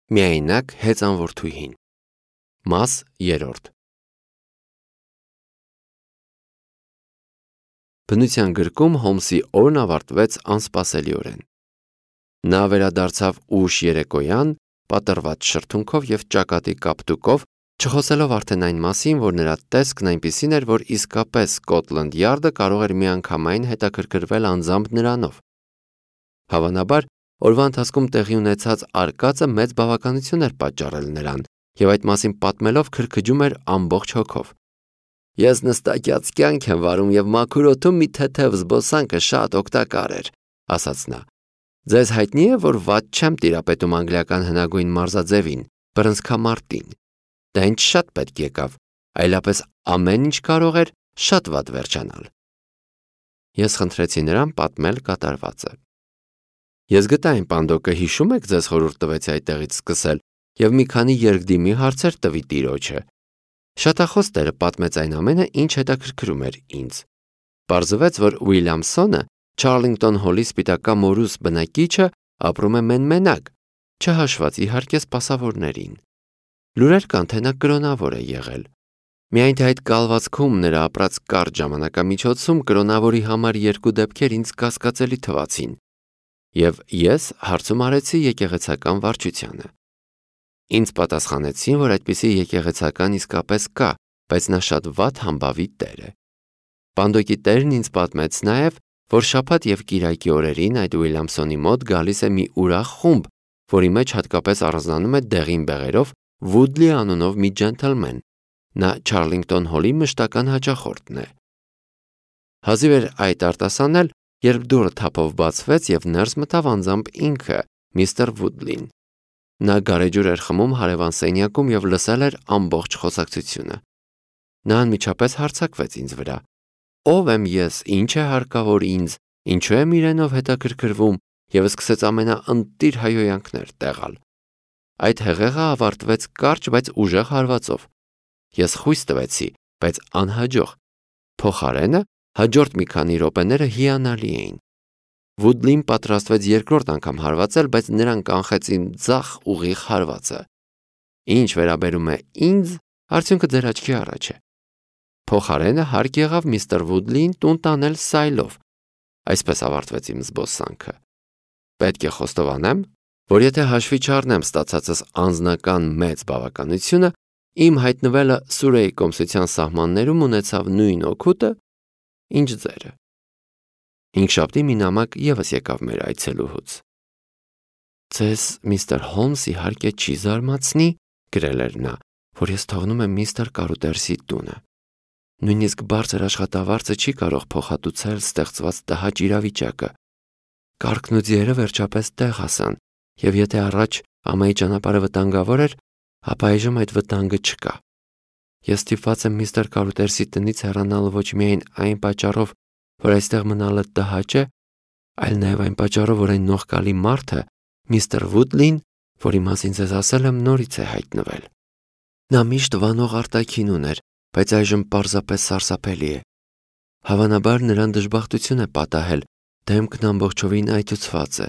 Միայնակ հեծանվորդուհին։ Մաս 3։ Բնության գրքում Հոլմսի օրն ավարտվեց անսպասելիորեն։ Նա վերադարձավ ուշ երեկոյան, պատռված շրթունքով և ճակատի կապտուկով, չխոսելով արդեն այն մասին, որ նրա տեսքն այնպիսին էր, որ իսկապես Սկոտլանդ Յարդը կարող էր միանգամայն հետաքրքրվել անձամբ նրանով։ Հավանաբար, օրվա ընթացքում տեղի ունեցած արկածը մեծ բավականություն էր պատճառել նրան, և այդ մասին պատմելով քրքջում էր ամբողջ հոգով։ «Ես նստակյաց կյանք եմ վարում և մաքուր օդում մի թեթև զբոսանքը շատ օգտակար էր», ասաց նա։ «Ձեզ հայտնի է, որ վատ չեմ տիրապետում անգլիական հնագույն մարզաձևին, բռնցքամարտին։ Դա ինձ շատ պետք եկավ, այլապես ամեն ինչ կարող էր շատ վատ վերջանալ»։ Ես խնդրեցի նրան պատմել կատարվածը։ Ես գտա այն պանդոկը, հիշում եք, ձեզ խորհուրդ տվեցի այդտեղից սկսել և մի քանի երկդիմի հարցեր տվի տիրոջը։ Շատախոս տերը պատմեց այն ամենը, ինչ հետաքրքրում էր ինձ։ Պարզվեց, որ Ուիլյամսոնը, Չարլինգտոն Հոլի սպիտակամորուս բնակիչը, ապրում է մենմենակ, չհաշված իհարկե սպասավորներին։ Լուրեր կան, թե նա կրոնավոր է եղել։ Միայն թե այդ կալվածքում նրա ապրած կարճ ժամանակամիջոցում կրոնավորի համար երկու դեպքեր ինձ կասկածելի թվացին, և ես հարցում արեցի եկեղեցական վարչությանը։ Ինձ պատասխանեցին, որ այդպիսի եկեղեցական իսկապես կա, բայց նա շատ վատ համբավի տեր է։ Պանդոկի տերն ինձ պատմեց նաև, որ շաբաթ և կիրակի օրերին այդ Ուիլյամսոնի մոտ գալիս է մի ուրախ խումբ, որի մեջ հատկապես առանձնանում է դեղին բեղերով Վուդլի անունով մի ջենթլմեն։ Նա Չարլինգտոն Հոլի մշտական հաճախորդն է։ Հազիվ էր այդ արտասանել, երբ դուռը թափով բացվեց և ներս մտավ անձամբ ինքը, միստր Վուդլին։ Նա գարեջուր էր խմում հարևան սենյակում և լսել էր ամբողջ խոսակցությունը։ Նա անմիջապես հարձակվեց ինձ վրա։ Ո՞վ եմ ես, ինչ է հարկավոր ինձ, ինչու եմ իրենով հետաքրքրվում, և սկսեց ամենաընտիր հայհոյանքներ տեղալ։ Այդ հեղեղը ավարտվեց կարճ, բայց ուժեղ հարվածով։ Ես խույս տվեցի, բայց անհաջող։ Փոխարենը հաջորդ մի քանի րոպեները հիանալի էին։ Վուդլին պատրաստվեց երկրորդ անգամ հարվածել, բայց նրան կանխեց իմ ձախ ուղիղ հարվածը։ Ինչ վերաբերում է ինձ, արդյունքը ձեր աչքի առաջ է։ Փոխարենը հարկ եղավ միստր Վուդլիին տուն տանել սայլով։ Այսպես ավարտվեց իմ զբոսանքը։ Պետք է խոստովանեմ, որ եթե հաշվի չառնեմ ստացածս անձնական մեծ բավականությունը, իմ հայտնվելը Սուրեի կոմսության սահմաններում ունեցավ նույն օգուտը, ինչ ձերը։ Հինգշաբթի մի նամակ ևս եկավ մեր այցելուհուց։ «Ձեզ, միստր Հոլմս, իհարկե չի զարմացնի, գրել էր նա, որ ես թողնում եմ միստր Կարուտերսի տունը։ Նույնիսկ բարձր աշխատավարձը չի կարող փոխհատուցել ստեղծված տհաճ իրավիճակը։ Կառքն ու ձիերը վերջապես տեղ հասան, և եթե առաջ ամայի ճանապարհը վտանգավոր էր, ապա այժմ այդ վտանգը չկա։ Ես ստիպված եմ միստր Կարուտերսի տնից հեռանալ ոչ միայն այն պատճառով, որ այստեղ մնալը տհաճ է, այլ նաև այն պատճառով, որ այն նողկալի մարդը, միստր Վուդլին, որի մասին ձեզ ասել եմ, նորից է հայտնվել։ Նա միշտ վանող արտաքին ուներ, բայց այժմ պարզապես սարսափելի է։ Հավանաբար նրան դժբախտություն է պատահել, դեմքն ամբողջովին այտուցված է։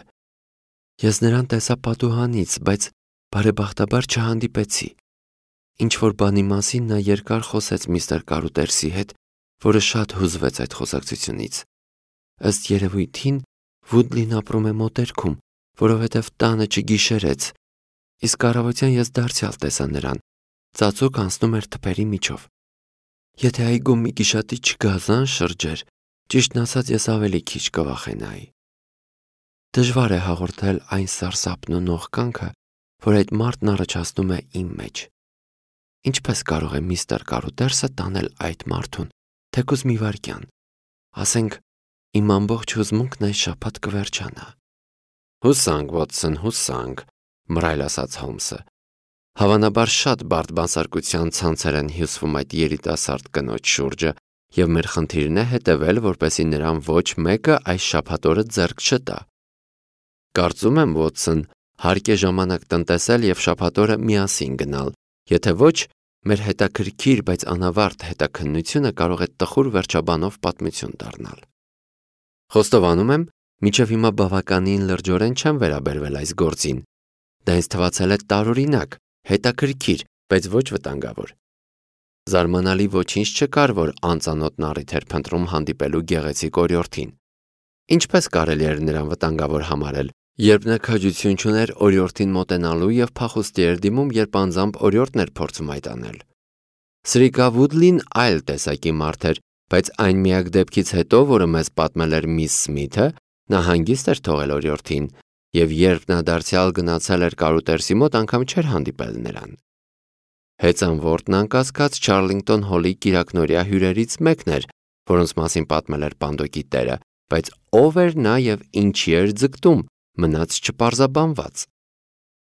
Ես նրան տեսա պատուհանից, բայց բարեբախտաբար չհանդիպեցի։ Ինչ-որ բանի մասին նա երկար խոսեց միստր Կարուտերսի հետ, որը շատ հուզվեց այդ խոսակցությունից։ Ըստ երևույթին Վուդլին ապրում է մոտերքում, որովհետև տանը չգիշերեց, իսկ առավոտյան ես դարձյալ տեսա նրան, ծածուկ անցնում էր թփերի միջով։ Եթե այգում մի գիշատի չգազան շրջեր, ճիշտն ասած ես ավելի քիչ կվախենայի։ Դժվար է հաղորդել այն սարսափն ու նողկանքը, որ այդ մարդն առաջացնում է իմ մեջ։ Ինչպես կարող է միստր Կարուտերսը տանել այդ մարդուն, թեկուզ մի վայրկյան։ Ասենք, իմ ամբողջ հուզմունքն այս շաբաթ կվերջանա։ Հուսանք, Վոտսոն, հուսանք, մռայլ ասաց Հոլմսը։ Հավանաբար շատ բարդ բանսարկության ցանցեր են հյուսվում այդ երիտասարդ կնոջ շուրջը, և մեր խնդիրն է հետևել, որպեսզի նրան ոչ մեկը այս շաբաթօրը ձեռք չտա։ Կարծում եմ, Վոտսոն, հարկ է ժամանակ տնտեսել և շաբաթօրը միասին գնալ, եթե ոչ, մեր հետաքրքիր, բայց անավարտ հետաքննությունը կարող է տխուր վերջաբանով պատմություն դառնալ։ Խոստովանում եմ, մինչև հիմա բավականին լրջորեն չեմ վերաբերվել այս գործին։ Դա ինձ թվացել է տարօրինակ, հետաքրքիր, բայց ոչ վտանգավոր։ Զարմանալի ոչինչ չկար, որ անծանոթ նարիթ էր փնտրում հանդիպելու գեղեցիկ օրիորդին։ Ինչպես կարելի էր նրան վտանգավոր համարել, երբ նա քաջություն չուներ օրիորդին մոտենալու և փախուստի էր դիմում, երբ անձամբ օրիորդն էր փորձում այդ անել։ Սրիկա Վուդլին այլ տեսակի մարդ էր, բայց այն միակ դեպքից հետո, որը մեզ պատմել էր միս Սմիթը, նա հանգիստ էր թողել օրիորդին, և երբ նա դարձյալ գնացել էր կարուտերսի մոտ, անգամ չէր հանդիպել նրան։ Հեծանվորդն անկասկած Չարլինգտոն հոլի կիրակնօրյա հյուրերից մեկն էր, որոնց մասին պատմել էր Պանդոկի տերը, բայց ով էր նա և ինչի էր ձգտում, մնաց չպարզաբանված։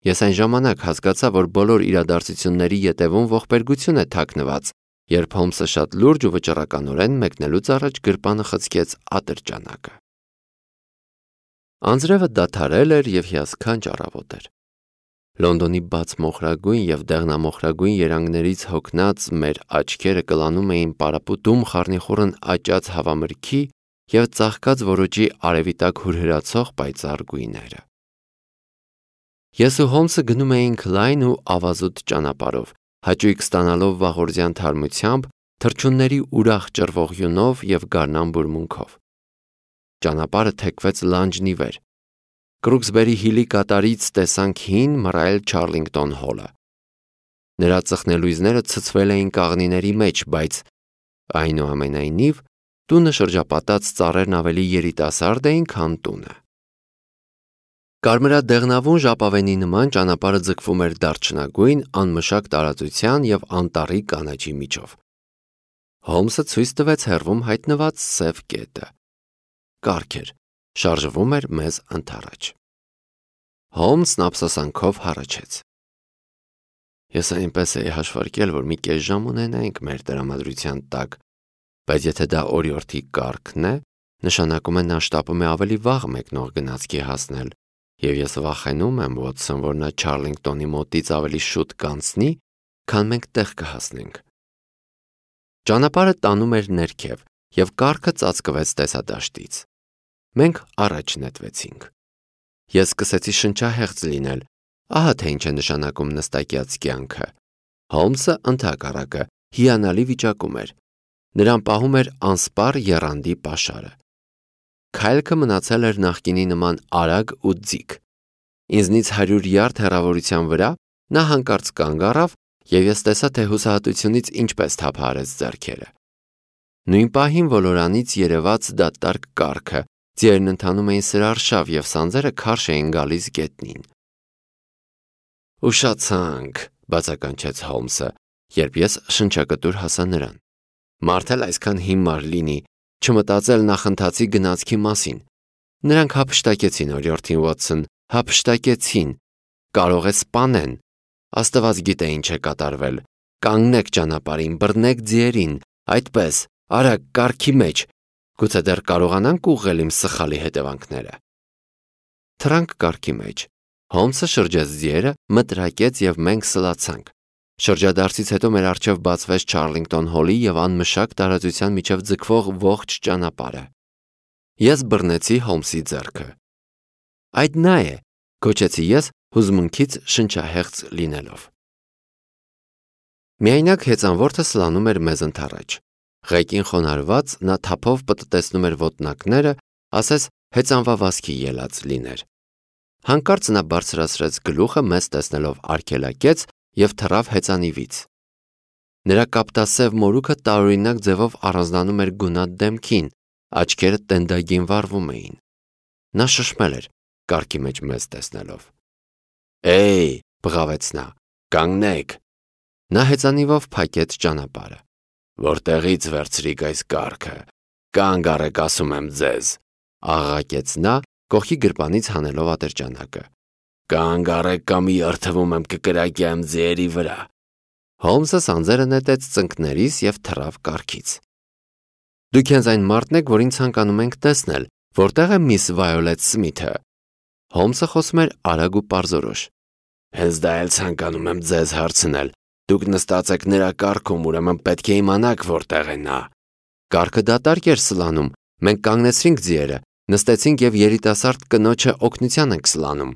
Ես այն ժամանակ հասկացա, որ բոլոր իրադարձությունների ետևում ողբերգություն է թաքնված, երբ Հոլմսը շատ լուրջ ու վճռականորեն մեկնելուց առաջ գրպանը խցկեց ատրճանակը։ Անձրևը դադարել էր և հիասքանչ առավոտ էր։ Լոնդոնի բաց մոխրագույն և դեղնամոխրագույն երանգներից հոգնած մեր աչքերը կլանում էին պարապուտում խառնիխուռն աճած հավամրգի և ծաղկած ոռոճի արևի տակ հուրհրացող պայծառ գույները։ Ես ու Հոլմսը գնում էինք լայն ու ավազուտ ճանապարհով, հաճույք ստանալով վաղօրձյան թարմությամբ, թռչունների ուրախ ճռվող յունով և գարնան բուրմունքով։ Ճանապարհը թեքվեց լանջն ի վեր։ Կրուքսբերի Հիլի կատարից տեսանք հին մռայլ Չարլինգտոն հոլը։ Նրա ծխնելույզները ցցվել էին կաղնիների մեջ, բայց այնուամենայնիվ տունը շրջապատած ծառերն ավելի երիտասարդ էին, քան տունը։ Կարմրադեղնավուն ժապավենի նման ճանապարհը ձգվում էր դարչնագույն, անմշակ տարածության և անտառի կանաչի միջով։ Հոլմսը ցույց տվեց հեռվում հայտնված սև կետը։ Կառք էր, շարժվում էր մեզ ընդառաջ։ Հոլմսն ափսոսանքով հառաչեց։ Ես այնպես էի հաշվարկել, որ մի կես ժամ ունենայինք մեր տրամադրության տակ, բայց եթե դա օրիորդի կառքն է, նշանակում է նա շտապում է ավելի վաղ մեկնող գնացքի հասնել, և ես վախենում եմ, Վոթսոն, որ նա Չարլինգտոնի մոտից ավելի շուտ կանցնի, քան մենք տեղ կհասնենք։ Ճանապարհը տանում էր ներքև, և կառքը ծածկվեց տեսադաշտից։ Մենք առաջ նետվեցինք։ Ես սկսեցի շնչահեղձ լինել, ահա թե ինչ է նշանակում նստակյաց կյանքը։ Հոլմսը ընդհակառակը հիանալի վիճակում էր։ Նրան պահում էր անսպառ եռանդի պաշարը։ Քայլքը մնացել էր նախկինի նման արագ ու ձիգ։ Ինձնից 100 յարդ հեռավորության վրա նա հանկարծ կանգ առավ, և ես տեսա, թե հուսահատությունից ինչպես թափահարեց ձեռքերը։ Նույն պահին ոլորանից երևաց դատարկ կառքը, ձիերն ընթանում էին սրարշավ, և սանձերը քարշ էին գալիս գետնին։ «Ուշացանք», բացականչեց Հոլմսը, երբ ես շնչակտուր հասա նրան։ Մարդ էլ այսքան հիմար լինի, չմտածել նախընթացի գնացքի մասին։ Նրանք հափշտակեցին օրիորդին, Վոթսոն, հափշտակեցին։ Կարող է սպանեն։ Աստված գիտե ինչ է կատարվել։ Կանգնեք ճանապարհին, բռնեք ձիերին, այդպես, արագ, կառքի մեջ։ Գուցե դեռ կարողանանք ուղղել իմ սխալի հետևանքները։ Թռանք կառքի մեջ։ Հոլմսը շրջեց ձիերը, մտրակեց, և մենք սլացանք։ Շրջադարձից հետո մեր առջև բացվեց Չարլինգտոն հոլի և անմշակ տարածության միջև ձգվող ողջ ճանապարհը։ Ես բռնեցի Հոլմսի ձեռքը։ Այդ նա է, գոչեցի ես, հուզմունքից շնչահեղձ լինելով։ Միայնակ հեծանվորդը սլանում էր մեզ ընդառաջ։ Ղեկին խոնարհված նա թափով պտտեցնում էր ոտնակները, ասես հեծանվավազքի ելած լիներ։ Հանկարծ նա բարձրացրեց գլուխը, մեզ տեսնելով արգելակեց և թռավ հեծանիվից։ Նրա կապտասև մորուքը տարօրինակ ձևով առանձնանում էր գունատ դեմքին, աչքերը տենդագին վառվում էին։ Նա շշմել էր, կառքի մեջ մեզ տեսնելով։ «Էյ», բղավեց նա, «կանգնեք»։ Նա հեծանիվով փակեց ճանապարհը։ «Որտեղի՞ց վերցրիք այս կառքը։ Կանգ առեք, ասում եմ ձեզ», աղաղակեց նա, կողքի գրպանից հանելով ատրճանակը։ «Կանգ առեք, կամ երդվում եմ կկրակեմ ձիերի վրա»։ Հոլմսը սանձերը նետեց ծնկներիս և թռավ կառքից։ «Դուք հենց այն մարդն եք, որին ցանկանում ենք տեսնել, որտեղ է միս Վայոլետ Սմիթը»։ Հոլմսը խոսում էր արագ ու պարզորոշ։ «Հենց դա էլ ցանկանում եմ ձեզ հարցնել։ Դուք նստած եք նրա կառքում, ուրեմն պետք է իմանաք որտեղ է նա»։ Կառքը դատարկ էր սլանում, մենք կանգնեցրինք ձիերը, նստեցինք և երիտասարդ կնոջը օգնության ենք սլանում։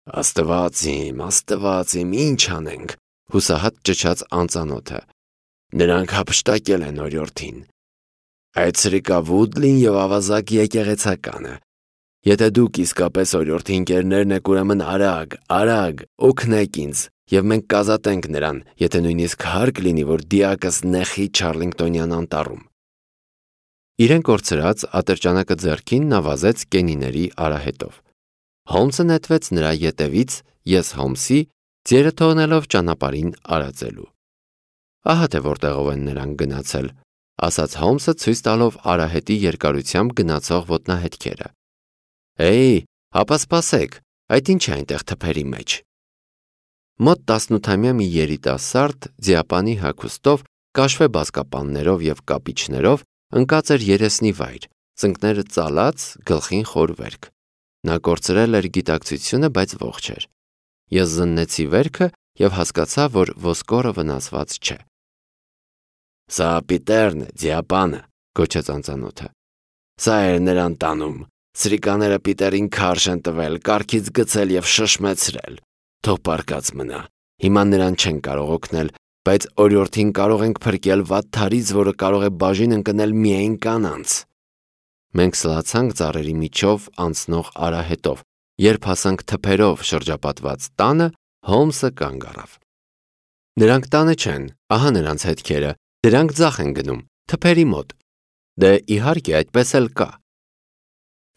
Աստված իմ, ինչ անենք, հուսահատ ճչաց անծանոթը։ Նրանք հափշտակել են օրիորդին։ Այդ սրիկա Վուդլին և ավազակ եկեղեցականը։ Եթե դուք իսկապես օրիորդի ընկերներն եք, ուրեմն արագ, օգնեք ինձ, և մենք կազատենք նրան, եթե նույնիսկ հարկ լինի, որ դիակս նեխի Չարլինգտոնյան անտառում։ Իրեն կորցրած ատրճանակը ձեռքին նա վազեց կենիների արահետով։ Հոլմսը նետվեց նրա ետևից, ես Հոլմսի, ձիերը թողնելով ճանապարհին արածելու։ Ահա թե որտեղով են նրանք գնացել, ասաց Հոլմսը ցույց տալով արահետի երկարությամբ գնացող ոտնահետքերը։ Հապա սպասեք, այդ ինչ է այնտեղ թփերի մեջ։ Մոտ 18-ամյա մի երիտասարդ ձիապանի հագուստով, կաշվե բազկապաններով և կապիչներով ընկած էր երեսնի վայր, ծնկները ծալած, գլխին խոր վերք։ Նա կորցրել էր գիտակցությունը, բայց ողջ էր։ Ես զննեցի վերքը և հասկացա, որ ոսկորը վնասված չէ։ Սա Պիտերն է, ձիապանը, գոչեց անծանոթը։ Սա էր նրան տանում։ Սրիկաները Պիտերին քարշ են տվել, կառքից գցել և շշմեցրել։ Թող պառկած մնա։ Հիմա նրան չեն կարող օգնել, բայց օրիորդին կարող ենք փրկել վատթարից, որը կարող է բաժին ընկնել միայն կանանց։ Մենք սլացանք ծառերի միջով անցնող արահետով։ Երբ հասանք թփերով շրջապատված տանը, Հոլմսը կանգ առավ։ Նրանք տանը չեն, ահա նրանց հետքերը, դրանք ձախ են գնում, թփերի մոտ։ Դե իհարկե այդպես էլ կա։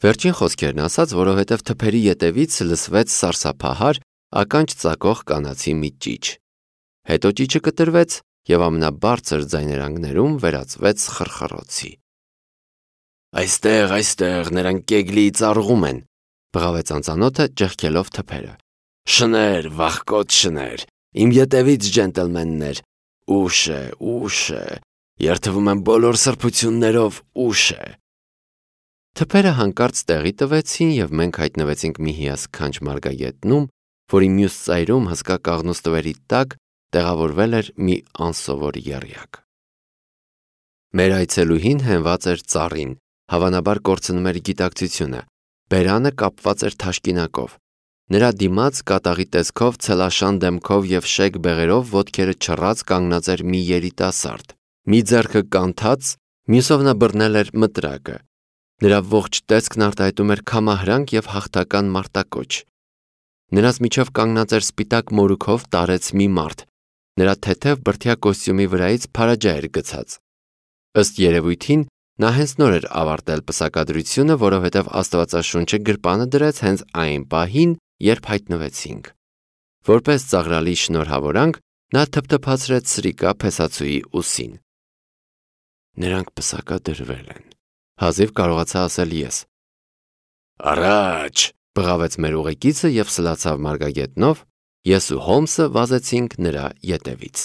Վերջին խոսքերն ասաց, որովհետև թփերի ետևից լսվեց սարսափահար, ականջ ծակող կանացի մի ճիչ։ Հետո ճիչը կտրվեց և ամենաբարձր ձայներանգներում վերածվեց խռխռոցի։ Այստեղ նրանք կեգլիի ծառուղում են, բղավեց անծանոթը ճեղքելով թփերը։ Շներ, վախկոտ շներ, իմ ետևից ջենտլմեններ, ուշ է, երդվում եմ բոլոր սրբություններով, ուշ է։ Թփերը հանկարծ տեղի տվեցին և մենք հայտնվեցինք մի հիասքանչ մարգագետնում, որի մյուս ծայրում հսկա կաղնուստվերի տակ տեղավորվել էր մի անսովոր եռյակ։ Մեր այցելուհին հենված էր ծառին, հավանաբար կորցնում էր գիտակցությունը, բերանը կապված էր թաշկինակով։ Նրա դիմաց կատաղի տեսքով, ցելաշան դեմքով և շեկ բեղերով ոտքերը չռած կանգնած էր մի երիտասարդ, մի ձեռքը կանթած, մյուսով նա բռնել էր մտրակը։ Նրա ողջ տեսքն արտահայտում էր քամահրանք և հաղթական մարտակոչ։ Նրանց միջով կանգնած էր սպիտակ մորուքով տարեց մի մարդ։ Նրա թեթև բրդյա կոստյումի վրայից փարաջա էր գցած։ Ըստ երևույթին, նա հենց նոր էր ավարտել պսակադրությունը, որովհետև Աստվածաշունչը գրպանը դրեց հենց այն պահին, երբ հայտնվեցինք։ Որպես ծաղրալի շնորհավորանք, նա թփթփացրեց սրիկա փեսացուի ուսին։ Նրանք պսակադրվել են, հազիվ կարողացա ասել ես։ Առաջ, բղավեց մեր ուղեկիցը և սլացավ մարգագետնով, ես ու Հոլմսը վազեցինք նրա ետևից։